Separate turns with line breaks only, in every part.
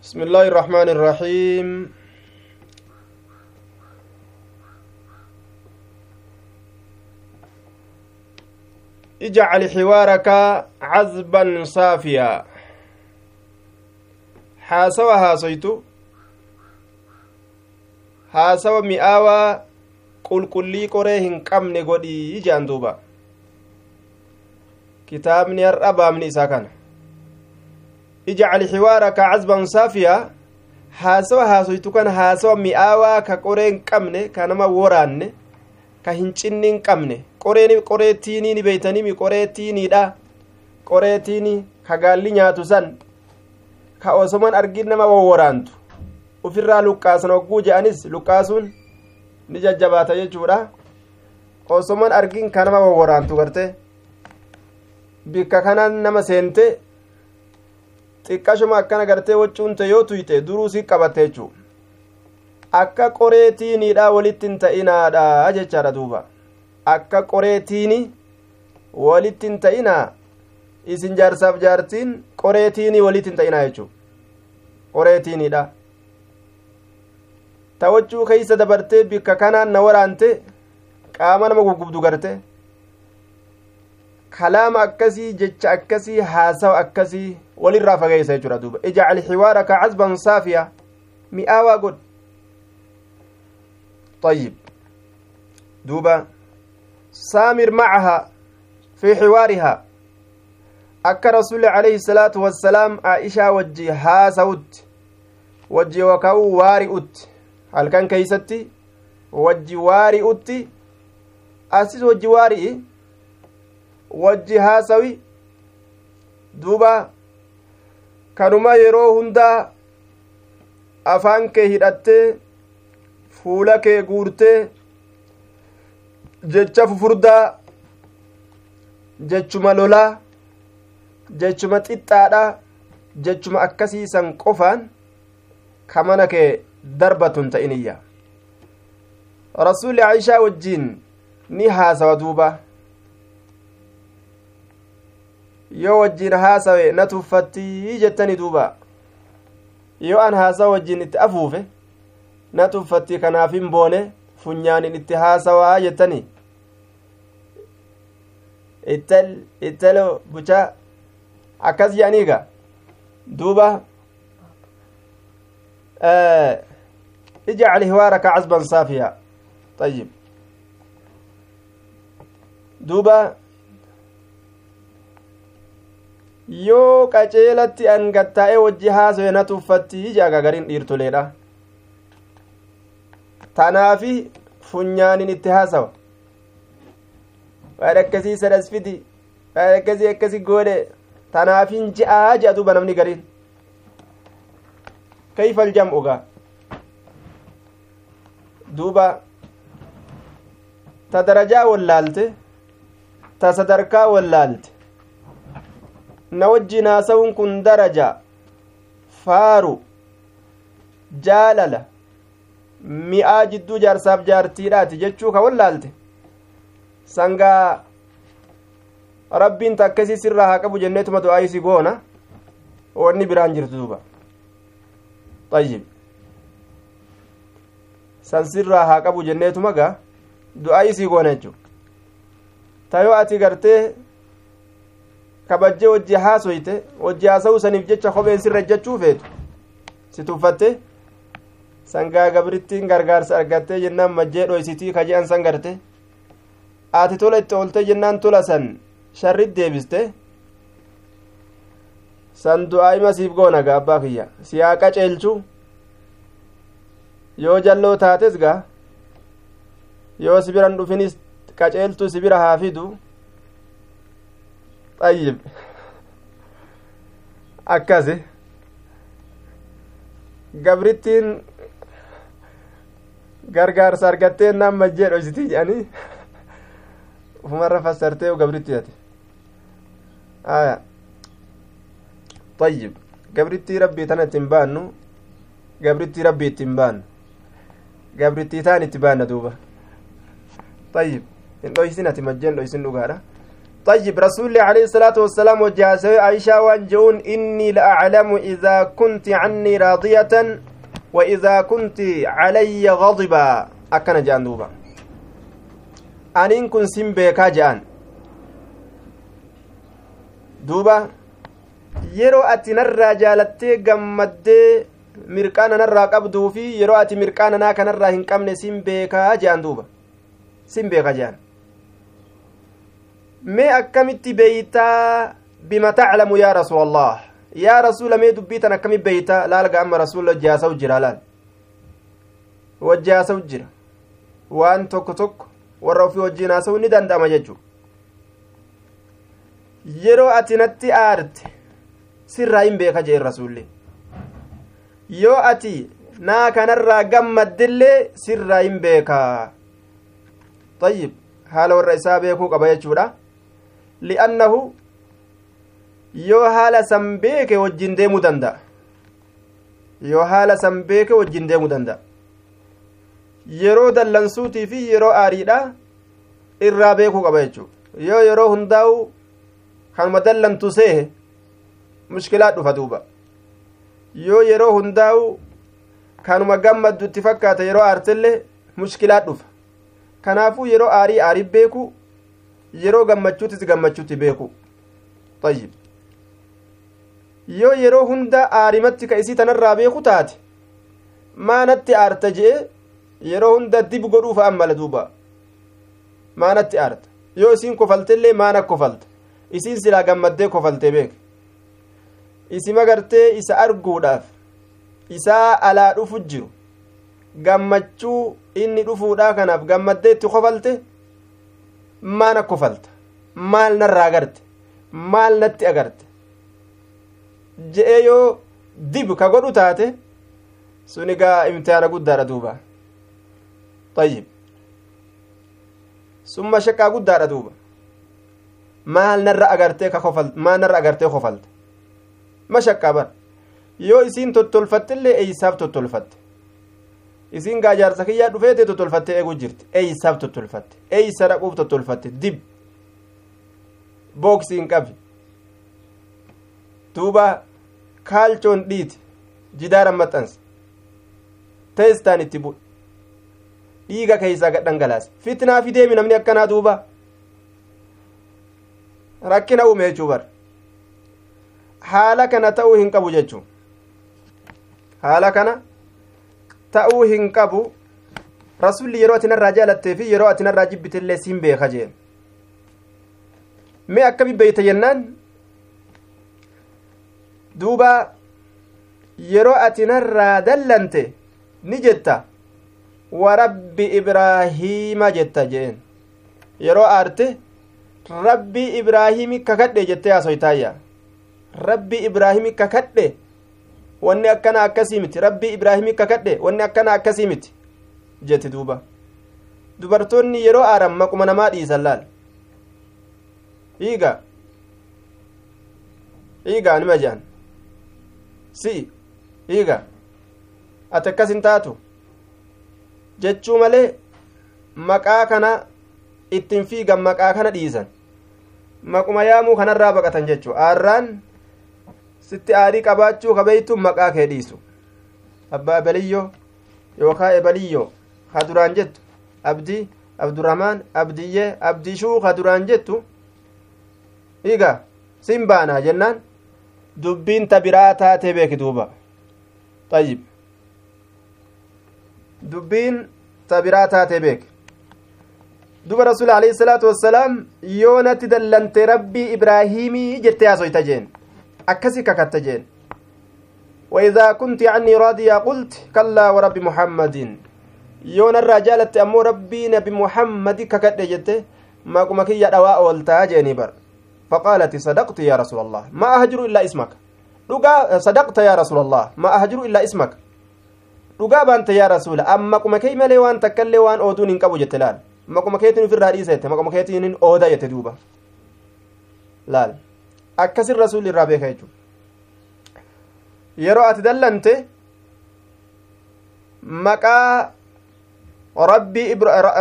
بسم الله الرحمن الرحيم. اجعل حوارك عذبا صافيا. حاسوا هاسويتو haasawa mi'aawaa qulqullii qoree hin qabne godhii jaan. Duuba kitaabni har'a baabni isaa kana: ijcal xiwaaraka cazban saafiyaa. Haasawa haasoytu kana haasawa mi'aawaa ka qoree hin qabne, ka nama woraanne, ka hin cinni hin qabne. Qoreen qoree tiinii ni beeytanimi, qoree tiiniidha, qoree tiinii ka gaalli nyaatu san, ka osoman argin nama wawworaantu ufirraa luqqaasan hogguu je'anis luqqaasuun ni jajjabaata jechuudha. Osoman argin ka nama wawworaantu garte bikka kanaan nama seente xiqqashuma akkana gartee waccuunte yoo tuyxe duruu si qabatte jechuu. Akka qoree tiiniidha walitti hin ta'inaadha jechaadha. Duuba akka qoree tiini walitti hin ta'inaa, isin jaarsaaf jaartiin qoree tiinii walitti hin ta'inaa jechuu. Qoree tiiniidha ta waccuu keeysa dabartee bikka kanaan na waraante qaama nama guggubdu garte. Kalaama akkasii, jecha akkasii, haasawa akkasii walirraa fageeysa jechuudha. Duuba ijcal xiwaaraka cazban saafiya, mi'aawaa godh. طيب، دوبا سامر معها في حوارها. أكا رسول عليه الصلاة والسلام عائشة وجي هاسوت وجي وكاو وارئت هل كان كيستي وجي وارئت أسيس وجي وارئ wajji haasawi. Duuba kanuma yeroo hundaa afaan kee hidhattee fuula kee guurtee jecha fufurdaa, jechuma lolaa, jechuma xixxaadha, jechuma akkasiisan qofaan ka mana kee darbatun ta'iniyya. Rasuulli Aishaa wajjiin ni haasawa. Duuba yoo wajjiin haasawe na tuffattii jettani. Duuba yoo an haasawa wajjiin itti afuufe na tuffattii, kanaaf hin boone funyaanin itti haasawaa jettani. Ittal ittalo buchaa akkas jedhaniiga. Duuba ijcal hiwaaraka cazban saafiya. طيب، duuba yoo qaceelatti an gattaa'ee wajji haasoye na tuffatti jaaga gariin dhiirtoleedha. Tanaafi funyaanin itti haasawa, waan akkasii sadas fidi, waan akkasii akkasi goodhe, tanaafin je'aa je'a. Duuba namni gariin kayfa aljam'u gaa? Duuba ta darajaa wallaalte, ta sadarkaa wallaalte, na wajjiin haasawuun kun daraja, faaru, jaalala, mi'aa jidduu jaarsaaf jaartiidhaati jechuu ka wallaalte, sangaa rabbiin takkasii sirraa haa qabu jenneetuma du'aa isii goona, wanni biraan jirtu. Duuba طيب san sirraa haa qabu jenneetuma gaa du'aa isii goona jechuu. Tayoo ati gartee kabajjee wajji haasoyte, wajji haasa'uu saniif jecha kopheen sirra jechuu feetu si tuffatte, sangaa gabrittiin gargaarsa argattee jennaan majjee dhoysitii ka je'an san garte, ati tola itti oolte jennaan tola san sharrit deebiste, san du'aa ima siif goona gaa. Abbaa kiyya si haa qaceelchu. Yoo jalloo taates gaa, yoo si biran dhufinis qaceeltu si bira haa fidu. طيب، akkasi gabrittiin gargaarsa argattee naan majjee dhoysitii jedhanii ufumarra fassartee gabrittii ate aya. طيب، gabrittii rabbii tana ittiin baannu, gabrittii rabbii ittiin baannu, gabrittii taan itti baanna. Duuba طيب hin dhoysin, ati majjeen dhoysin dhugaadha. طيب رسول الله عليه الصلاة والسلام وجاسوي عائشة وانجون إني لأعلم إذا كنت عني راضية وإذا كنت علي غضبا أكن جان دوبا أنين كن سنبيكا جان دوبا yeroo ati narraa jaalattee gammaddee mirqaana narraa qabduu fi yeroo ati mirqaana naa kanarraa hin qabne sin beekaa je'an duuba sin beeka je'an mee akkamitti beeytaa bima taclamu yaa rasuulallah yaa rasuula mee dubbii tan akkami beeytaa laal ga amma rasuula wajjaasawu jira laal wajjaasawu jira waan tokko tokko warra ofii wajjiin haasa'u ni danda'ama jechuu yeroo ati natti aarte sirraa hin beeka jeen rasuulli yoo ati naa kanarraa gammaddillee sirraa hin beeka طيب haala warra isaa beekuu qaba jechuudha li'annahu yoo haala san beeke wajjin deemuu danda'a yoo haala san beeke wajjin deemuu danda'a yeroo dallansuutii fi yeroo aariidha irraa beekuu qaba jechuu yoo yeroo hundaa'u kanuma dallantu seehe mushkilaa dhufa duuba yoo yeroo hundaa'u kanuma gammaddutti fakkaata yeroo aartellee mushkilaa dhufa kanaafuu yeroo aarii aarii beeku yeroo gammachuutis gammachuutti beeku tayyib yoo yeroo hunda aarimatti ka isii tanarraa beeku taate maanatti aarta je'e yeroo hunda dib godhuufa ammala duuba maanatti aarta yoo isiin kofaltellee maana kofalta isiin silaa gammaddee kofaltee beek isima gartee isa arguudhaaf isaa alaa dhufu jiru gammachuu inni dhufuudhaa kanaaf gammaddee itti kofalte maana kofalta maal narraa agarte maal natti agarte je'ee yoo dib ka godhu taate sun egaa imtihaana guddaadha duuba tayyib summa shaqqaa guddaadha duuba maal narra agartee ka kofal maal narra agartee kofalte mashaqqaa bar yoo isiin tottolfattillee eeysaaf tottolfatte isiin gaa jaarsa kiyyaa dhufeete tottolfattee eeguu jirti eeysaaf tottolfatte eeysa dhaquuf tottolfatte dib booksiin qabi duuba kaalchoon dhiiti jidaaran maxxanse teestaan itti bu'e dhiiga keeysaa gad dhangalaase fitnaa fideemi namni akkanaa duuba rakkina uume jechuu bar haala kana ta'uu hin qabu jechuu haala kana ta'uu hin qabu rasulli yeroo ati narraa jaalattee fi yeroo ati narraa jibbitellee siin beeka jeen mee akkami beeyta jennaan duuba yeroo ati narraa dallante ni jetta warabbi ibraahiima jetta jeen yeroo aarte rabbi ibraahiimi kakadhe jettee haasoytaayya rabbi ibraahimi kakadhe wanni akkana akkasii miti rabbi ibraahimi kakadhe wanni akkana akkasii miti jette duuba dubartoonni yeroo aaran maquma namaa dhiisan laal hiiga hiiga nima jean si'i hiiga ati akkas hin taatu jechuu malee maqaa kana ittiin fiigan maqaa kana dhiisan maquma yaamuu kanarraa baqatan jechuu aarraan sitti aarii qabaachuu kabeeytu maqaa kee dhiisu abbaa ebeliyyo yookaa ebeliyyo ka duraan jettu abdii abdurahmaan abdiyyee abdishuu ka duraan jettu hiiga sin baanaa jennaan dubbiin ta biraa taatee beeki duuba tayyib dubbiin ta biraa taatee beeki duba rasuul alayhi salaatu wassalaam yoo natti dallante rabbii ibraahiimii jettee haasoyta jeen akkasi kakatta jeen وإذا كنت عني راضية قلت كلا ورب محمد yoo narraa jaalatte ammoo rabbii nabi muhammadi kakadhe jette maquma kiyya dhawaa ooltaa jeeni bar فقالت صدقت يا رسول الله ما أهجر إلا اسمك dhugaa صدقت يا رسول الله ما أهجر إلا اسمك dhugaa baante yaa rasuula amma maquma kee malee waan takkallee waan ooduun hin qabu jette laal maquma keetiin ofirraa dhiisa jette maquma keetiin hin ooda jette duuba laal akkasin rasuulli irraa beeka jechuudha yeroo ati dallante maqaa Rabbii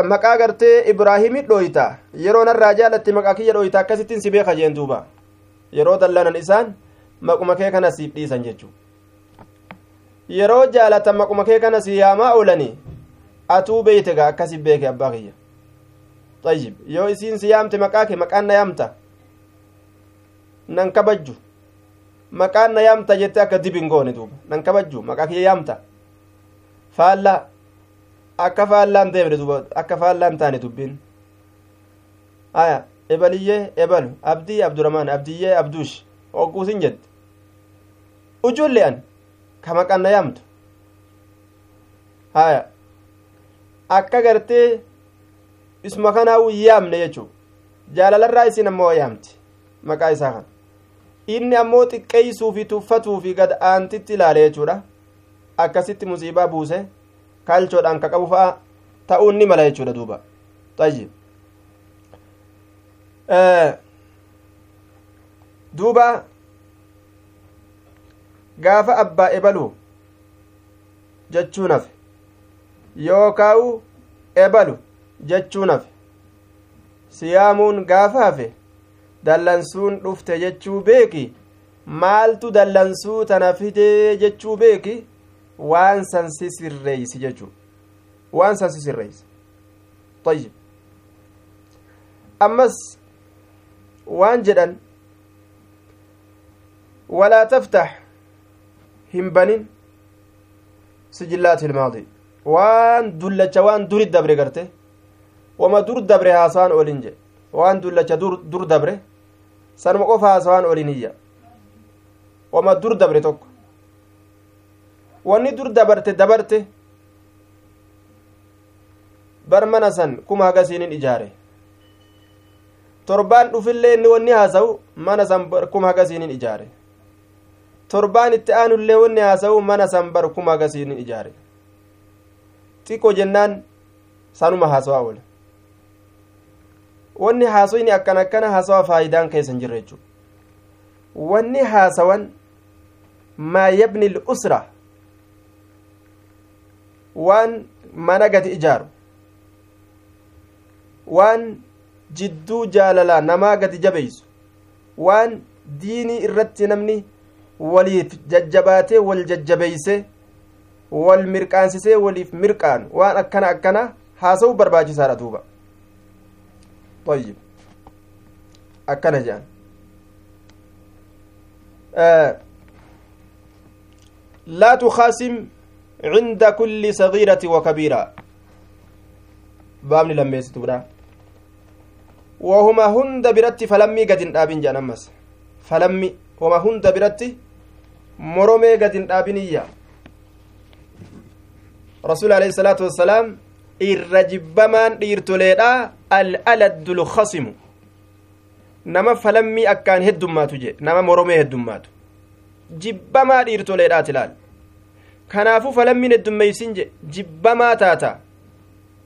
maqaa gartee Ibraahimi dhooyta yeroo narraa jaalatte maqaa kiyya dhooyta akkasittiin si beeka jeen duuba yeroo dallanan isaan maquma kee kana siif dhiisan jechuu yeroo jaalatan maquma kee kana si yaamaa oolani atuu beeyte gaa akkasi beeke abbaa kiyya tayyib yoo isiin si yaamte maqaa kee maqaan na yaamta nan kabajju maqaan na yaamta jette akka dibin goone duuba nan kabajju maqaa kiyya yaamta faallaa akka faallaan deemne duuba akka faallaan taane dubbiin aya ebaliyyee ebalu abdii abdurahmaan abdiyyee abduush hogguusin jette ujoollee an ka maqaan na yaamtu haya akka gartee isuma kanaa yaamne jechuu jaalalarraa isin ammoo yaamti maqaa isaa kana inni ammoo xiqqeeysuu fi tuffatuu fi gad aantitti ilaale jechuudha akkasitti musiibaa buuse kalchoodhaan ka qabu fa'a ta'uun ni mala jechuudha duuba tayyib duuba gaafa abbaa ebalu jechuun hafe yookaa'u ebalu jechuun hafe siyaamuun gaafa hafe dallansuun dhufte jechuu beeki maaltu dallansuu tana fidee jechuu beeki waan san si sirreeysi jechuu waan san si sirreeysi tayyib ammas waan jedhan walaa taftax hin banin sijillaati ilmaadi waan dullacha waan duri dabre garte wama dur dabre haasawaan olin jedhe waan dullacha dur dabre sanuma qofa haasawaan olin iyya wama dur dabre tokko wanni dur dabarte dabarte bar mana san kuma hagasiinin ijaare torbaan dhufillee inni wanni haasawu mana san kuma hagasiinin ijaare torbaan itti aanullee wanni haasawu mana san bar kuma hagasiinin ijaare xiqqoo jennaan sanuma haasawaa oole wanni haasoyni akkana akkana haasawa faayidaan keessa hin jirre jechuudha wanni haasawan maa yabni l'usra waan mana gadi ijaaru waan jidduu jaalalaa namaa gadi jabeeysu waan diinii irratti namni waliif jajjabaatee wal jajjabeeyse wal mirqaansisee waliif mirqaanu waan akkana akkana haasa'uu barbaachisaadha duuba طيب akkana jedhan laa tukhaasim cinda kulli sagiirati wa kabiira baabni lammeessituudha wahuma hunda biratti falammii gad hin dhaabin jedhan ammas falammi wama hunda biratti moromee gad hin dhaabiniyya rasuul alayhi salaatu wassalaam irra jibbamaan dhiirtoleedha al'aladdu lkhasimu nama falammii akkaan heddummaatu je nama moromee heddummaatu jibbamaa dhiirtoleedhaati ilaal kanaafuu falammiin heddummeeysin je jibbamaa taata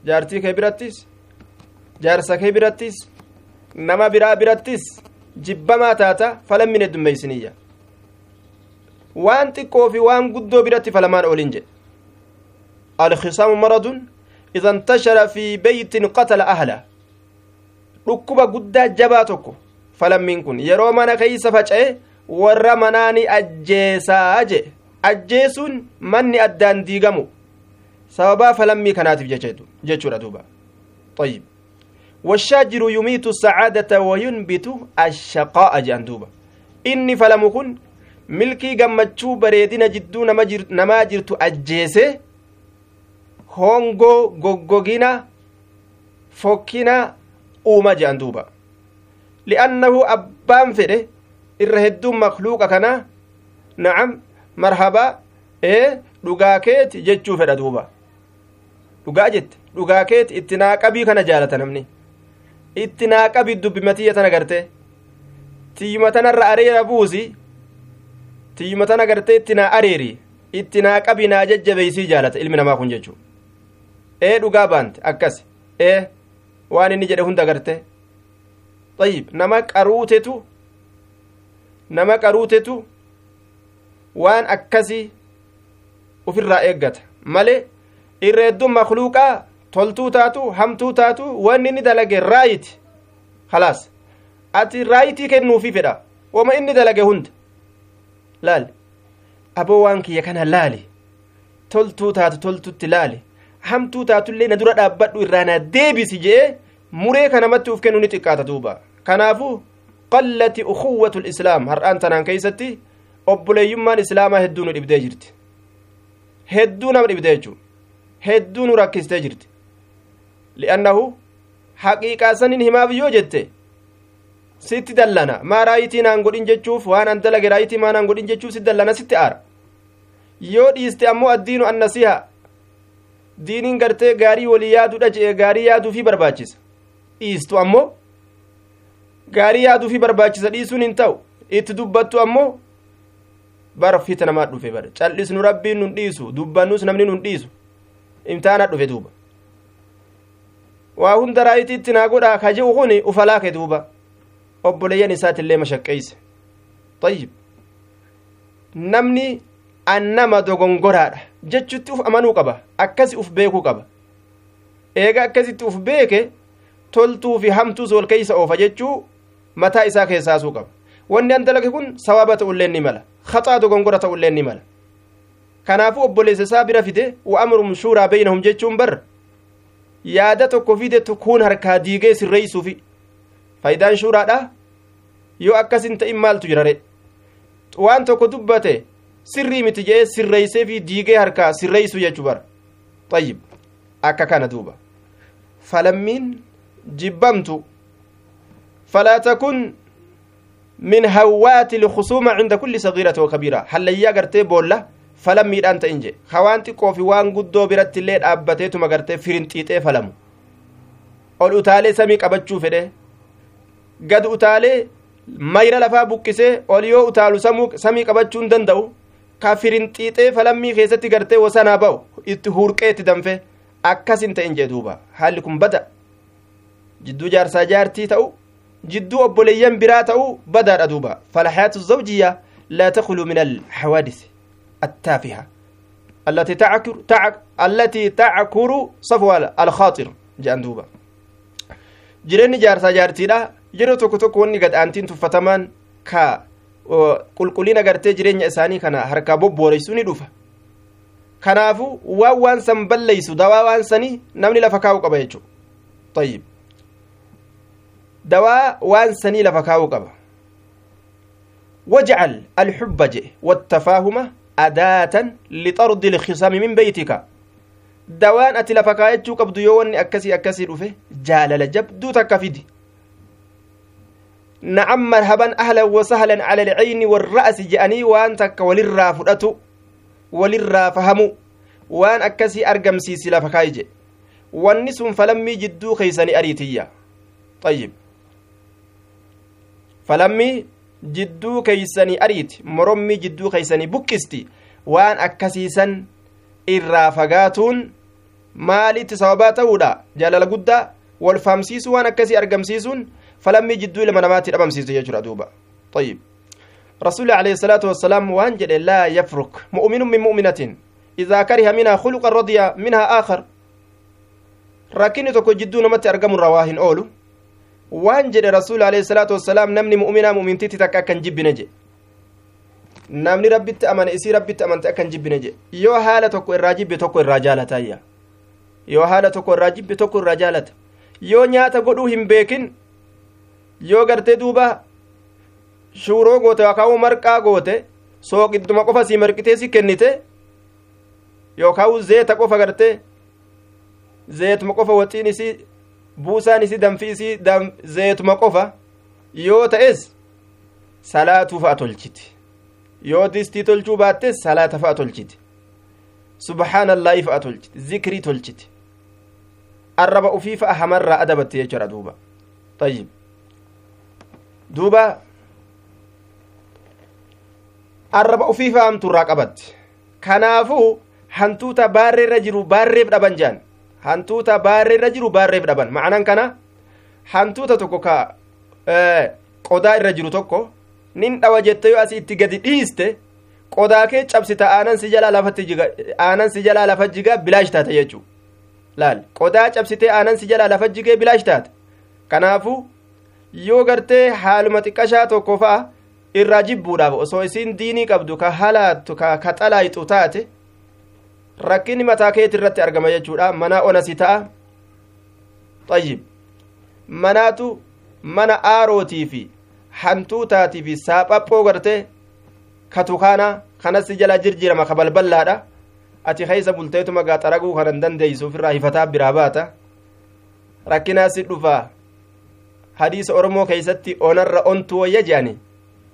jaartii kee birattis jaarsa kee birattis nama biraa birattis jibbamaa taata falammiin heddummeeysiniyya waan xiqqoo fi waan guddoo biratti falamaan oolin jedhe alkhisaamu maradun إذا انتشر في بيت قتل أهله dhukkuba guddaa jabaa tokko falammiin kun yeroo mana keeysa faca'e warra manaani ajjeesaa je ajjeesuun manni addaan diigamu sababaa falammii kanaatiif jechuudha duuba طيب والشاجر يميت السعادة وينبت الشقاء jedhan duuba inni falamu kun milkii gammachuu bareedina jidduu namaa jirtu ajjeese hongoo goggogina fokkina uuma jedhan duuba li'annahu abbaan fedhe irra hedduun makluuqa kana na'am marhabaa ee dhugaa keeti jechuu fedha duuba dhugaa jette dhugaa keeti itti naaqabii kana jaalata namni itti naaqabii dubbimatiyya tana garte tiyyuma tanarra areera buusi tiyyuma tana gartee itti naa areeri itti naaqabii naa jajjabeeysii jaalata ilmi namaa kun jechuu ee dhugaa baante akkas ee waan inni jedhe hunda garte طيب nama qaruutetu waan akkasii ufirraa eeggata malee irra hedduun makluuqaa Toltuu taatu hamtuu taatu wanni inni dalage right, khalaas ati raayitii kennuufi fedha wama inni dalage hunda laali. Aboo waan kiyya kana laali, toltuu taatu toltutti laali, hamtuu taatullee na dura dhaabbadhu irraa na deebisi jee muree kanamatti uf kennu ni xiqqaata duuba. Kanaafuu qallati ukhuwwatu lislaam har'aan tanaan keeysatti obboleeyyummaan islaamaa hedduu nu dhibdee jirti, hedduu nama dhibdee jechuu, hedduu nu rakkistee jirti. Li'annahu haqiiqaa sanin himaaf yoo jette sitti dallana, maa raayitii naan godhin jechuuf, waan an dalage raayitii maa naan godhin jechuuf si dallana, sitti aara. Yoo dhiiste ammoo addiinu annasiha, diiniin gartee gaarii walii yaaduudha je'e, gaarii yaaduufi barbaachisa. Dhiistu ammoo gaarii yaaduufi barbaachisa, dhiisuun hin ta'u. Itti dubbattu ammoo bara fita namaa dhufe, bara cal'isnu rabbiin nun dhiisu, dubbannus namni nun dhiisu, imtaana dhufe duuba. Waa hunda raayitiitti naa godhaa ka je'u kuni ufalaake duuba obboleeyyan isaatillee mashaqqeeyse. Tayyib, namni annama dogongoraadha jechutti uf amanuu qaba, akkasi uf beekuu qaba. Eega akkasitti uf beeke toltuu fi hamtuus wal keeysa oofa jechuu mataa isaa keessaasuu qaba. Wanni an dalage kun sawaaba ta'ullee ni mala, khaxaa dogongora ta'ullee ni mala. Kanaafuu obboleessa isaa bira fide wa amrum shuuraa beynahum jechuun bar yaada tokko fide kun harkaa diigee sirreeysuufi faayidaan shuuraadha. Yoo akkas hin ta'in maaltu jira re? Waan tokko dubbate sirrii miti jee sirreeysee fi diigee harkaa sirreeysu jechuu bara. Tayyib, akka kana duuba falammiin jibbamtu. Falaa takun min hawaati lkhusuuma cinda kulli sagiirati wa kabiira, hallayyaa gartee boolla falammiidhaan ta'in je, hawaan xiqqoo fi waan guddoo biratti illee dhaabbateetuma gartee firinxiixee falamu, ol utaalee samii qabachuu fedhe, gad utaalee mayra lafaa buqqisee ol yoo utaalu samii qabachuu hin danda'u, ka firinxiixee falammii keessatti gartee wasanaa ba'u itti hurqee itti danfe, akkas hin ta'in jee duuba. Haalli kun bada jidduu jaarsaa jaartii ta'u, jidduu obboleeyyan biraa ta'u badaadha duuba. Falhayaatu zawjiyya laa takhlu min alhawaadis attaafiha allati tackuru safwa alkhaaxir jedhan duuba. Jireenyi jaarsaa jaartiidha yeroo tokko tokko wanni gad aantiin tuffatamaan ka qulqullina gartee jireenya isaanii kana harkaa bobbooreysuu ni dhufa. Kanaafu waan waan san balleeysu dawaa waan sanii namni lafa kaa'uu qaba jechuu. Tayyib, dawaa waan sanii lafa kaa'uu qaba. Wajcal alxubba jedhe wattafaahuma adaatan lixardi ilkhisaami min beytika. Dawaan ati lafa kaayachuu qabdu yoo wanni akkasii akkasii dhufe jaalala jabduu takka fidi. Na'am marhaban ahlan wa sahlan cala alcayni warra'si je'anii waan takka walirraa fudhatu, walirraa fahamu, waan akkasii argamsiisi lafa kaayi jedhe. Wanni sun falammii jidduu keeysanii ariitiyya. Tayyib, falammii jidduu keeysanii ariiti, morommii jidduu keeysanii buqqisti. Waan akkasiisan irraa fagaatuun maalitti sababaa ta'uudha? Jaalala guddaa wal fahamsiisuu waan akkasii argamsiisuun falammii jidduu ilma namaatti dhabamsiisu jechuudha duuba. Tayyib, rasuulli alayhi salaatu wassalaam waan jedhe laa yafruk mu'minun min mu'minatin idaa kariha minhaa khuluqan radiya minhaa aakhar. Rakkinni tokko jidduu namatti argamurraa waa hin oolu. Waan jedhe rasuulli alayhi salaatu wassalaam namni mu'minaa mu'mintitti takka akka hin jibbine jedhe, namni rabbitti amane isii rabbitti amante akka hin jibbine jedhe. Yoo haala tokko irraa jibbe tokko irraa jaalatayya, yoo haala tokko irraa jibbe tokko irraa jaalata. Yoo nyaata godhuu hin beekin, yoo gartee duuba shuuroo goote yookaan marqaa goote sooqidduma qofa sii marqitee si kennite, yookaan zeeta qofa gartee zeetuma qofa waxiin isii buusaan isii danfi isii zeetuma qofa yoo ta'es salaatuu fa'a tolchiti, yoo distii tolchuu baattes salaata fa'a tolchiti, subhaanallaahi fa'a tolchiti, zikrii tolchiti, arraba ufii fa'a hamarraa adabatti jechuudha duuba. Tayyib, duuba arraba ufii fa'a hamturraa qabatti. Kanaafuu hantuuta baarreerra jiru baarreef dhaban jedhan, hantuuta baarreerra jiru baarreef dhaban. Ma'anaan kana hantuuta tokko ka qodaa irra jiru tokko nin dhawa jette yoo asii itti gadi dhiiste qodaa kee cabsita, aanan si jalaa lafatti jiga, aanan si jalaa lafa jiga, bilaash taate jechuu. Laal, qodaa cabsitee aanan si jalaa lafa jigee bilaash taate. Kanaafuu yoo gartee haaluma xiqqashaa tokko fa'a irraa jibbuudhaaf osoo isiin diinii qabdu ka halaattu ka xalaayixu taate rakkinni mataa keeti irratti argama jechuudha. Mana ona si ta'a. Tayyib, manaatu mana aarootii fi hantuutaatii fi saaphaphoo gartee ka tukaana kanas si jala jirjirama ka balballaadha. Ati keessa bulteetuma gaa xaraguu kan hin dandeeysu ofirraa hifataa biraa baata. Rakkinaa si dhufaa. Hadiisa Oromoo keeysatti onarra ontu wayya jedhani.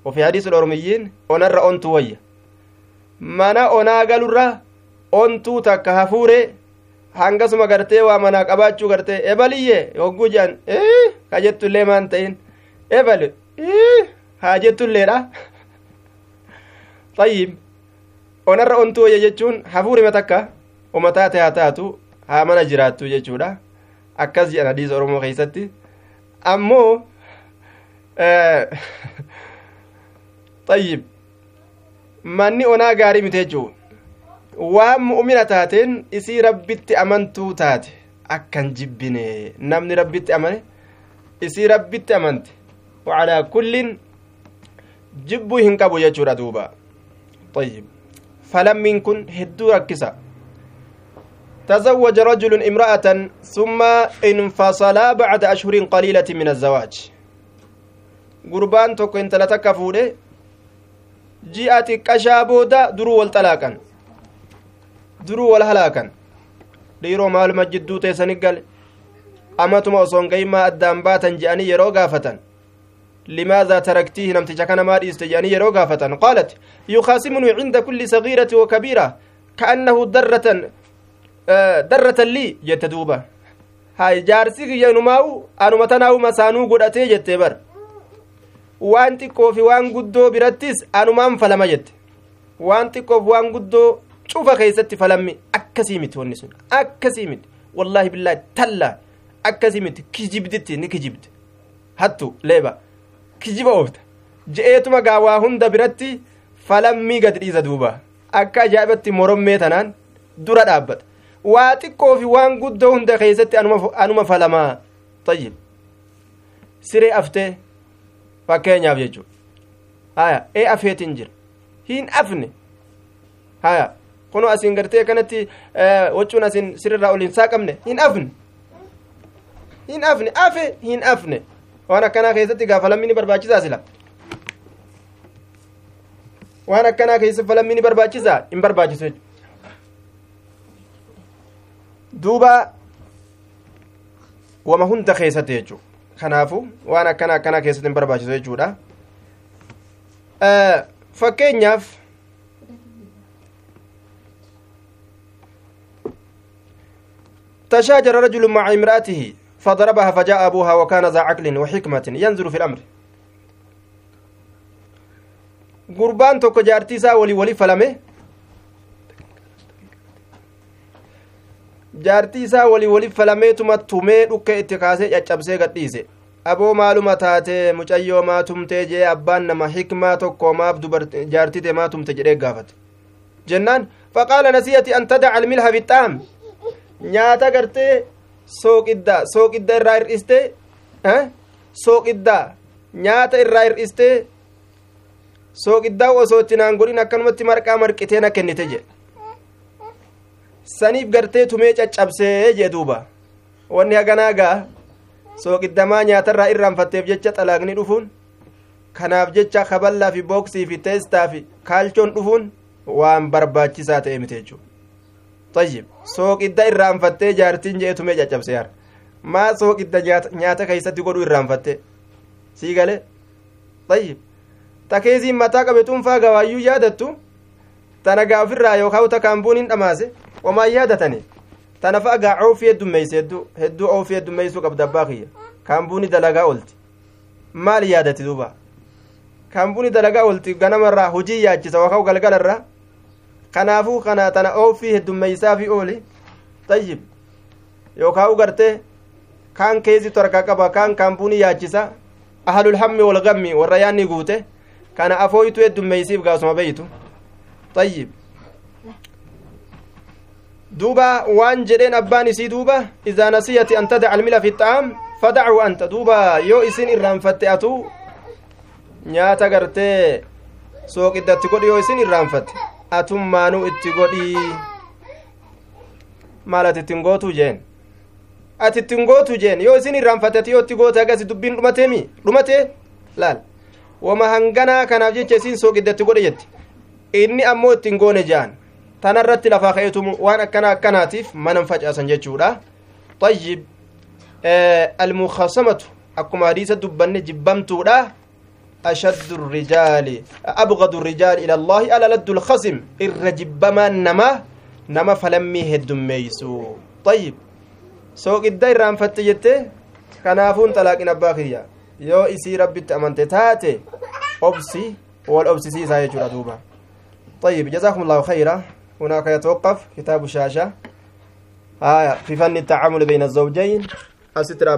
Ofi hadiisa Oromiyyiin onarra ontu wayya. Mana onaa galurra ontuu takka hafuure hangasuma gartee waa manaa qabaachuu gartee ebaliyye hogguu jedhan ka jettullee maan ta'in ebali haa jettulleedha. Tayyib, onarra ontuu wayya jechuun hafuurima takka uma taate haa taatu haa mana jiraattu jechuudha. Akkas jedhan hadiisa Oromoo keeysatti. Ammoo tayyib, manni onaa gaarii miti jechuu. Waan mu'mina taateen isii rabbitti amantuu taate akkan jibbine. Namni rabbitti amane isii rabbitti amante wacalaa kullin jibbuu hin qabu jechuudha duuba. Tayyib, falammiin kun hedduu rakkisa. تزوج رجل امرأة ثم انفصلا بعد أشهر قليلة من الزواج. قربان توكو انت لتكفوده جاءت كشابودا درو والطلاقا درو والهلاكا dhiiroo maaluma jidduu teessani gale amatuma osoon gahimaa addaan baatan je'anii yeroo gaafatan limaadhaa taraktiihi namticha kana maa dhiiste je'anii yeroo gaafatan qaalat yukaasimuni cinda kulli sagiirati wa kabiira ka'annahu darratan lii jette duuba. Hay, jaarsi kiyya inumaawu anuma tanaawu masaanuu godhatee jette bar. Waan xiqqoo fi waan guddoo birattis anumaan falama jette. Waan xiqqoof waan guddoo cufa keessatti falammi akkasii miti. Wanni sun akkasii miti, wallaahi billaahi tallaa akkasii miti. Kijibditti ni kijibde hattu leeba kijiba oofta je'eetuma gaa waa hunda biratti falammii gad dhiisa duuba. Akka ajaa'ibatti morommee tanaan dura dhaabbata. Waa xiqqoo fi waan guddoo hunda keessatti anuma falamaa. Tayyib, siree aftee fakkeenyaaf jechuudha. Haya, ee afeetiin jira hin afne. Haya, kunoo asiin gartee kanatti wacuun asiin sirrirraa ol hin saaqamne hin afne hin afne afe hin afne. Waan akkanaa keessatti gaa falammi ni barbaachisaa sila. Waan akkanaa keessatti falammi ni barbaachisaa hin barbaachisu jechuudha. Duuba wama hunda keessatti jechuudha. Kanaafu waan akkana akkanaa keessatti hin barbaachisu jechuudha. Fakkeenyaaf تشاجر رجل مع امرأته فضربها فجاء أبوها وكان ذا عقل وحكمة ينظر في الأمر. قربان توكو جارتي سا ولي ولي فلمه jaartii isaa walii wali falameetuma tumee dhukke itti kaasee caccabsee gadhiise. Aboo maaluma taatee mucayyoo maa tumtee jee abbaan nama hikmaa tokko maaf jaartii tee maa tumte jedhee gaafate jennaan faqaala nasiyati an tadaca almilha fixaam nyaata gartee sooqidda irraa hir'istee sooqidda nyaata irraa hir'istee sooqiddaa osoo itti naan godhin akkanumatti marqaa marqitee na kennite jedhe. Saniif gartee tumee caccabsee jee duuba. Wanni haganaa gaa sooqiddamaa nyaatarraa irraanfatteef jecha xalaaqni dhufuun kanaaf jecha kaballaa fi booksii fi teestaa fi kaalchoon dhufuun waan barbaachisaa ta'e miti jechuudha. Tayyib, sooqidda irraanfattee jaartiin jee tumee caccabsee yaara. Maa sooqidda nyaata keessatti godhuu irraanfattee sii galee. Tayyib, takeesiin mataa qabe tuunfaa gawaayyuu yaadattu tana gaa ofirraa yookaan takaan buun hin dhamaase wamaan yaadatani tana fa'a gaa oofii heddummeeyse hedduu oofii heddummeeysuu qabda abbaa kiyya kaambuuni dalagaa oolti maal yaadati duuba kaambuuni dalagaa oolti ganamarraa hojii yaachisa yookaan galgalarraa kanaafuu kana tana oofii heddummeeysaa fi ooli. Tayyib, yookaan gartee kaan keessitu harkaa qaba kaan kaambuuni yaachisa ahlul hammi wal gammi warra yaanni guute kana afooytu heddummeeysiif gaasuma beeytu. Tayyib, Duuba waan jedheen abbaan isii duuba idaa nasiyati an tadaca almila fi xa'aam fadacu anta. Duuba yoo isin irraanfatte atu nyaata gartee sooqiddatti godhi, yoo isin irraanfatte atummaanuu itti godhi, maal ati ittiin gootuu jeen, ati ittiin gootu jeen. Yoo isin irraanfatte ati yoo itti goote agasi dubbiin dhumateemi dhumate. Laal wama hanganaa kanaaf jecha isin sooqiddatti godhe jetti, inni ammoo ittiin goone jean. Tanarratti lafaa ka'eetu waan akkana akkanaatiif manan facaasan jechuudha. Tayyib, almukaasamatu akkuma hadiisa dubbanne jibbamtuudha. Ashaddu rijaali abgadu rijaali ila allaahi alaladdu lkhasim, irra jibbamaan nama falammii heddummeeysu. Tayyib, sooqidda irraanfatte jette, kanaafuun xalaaqin abbaa kiyya. Yoo isii rabbitti amante taate obsi, wal obsisiisaa jechuudha duuba. طيب، جزاكم الله خيرا. هناك يتوقف كتاب الشاشة آية في فن التعامل بين الزوجين أستر.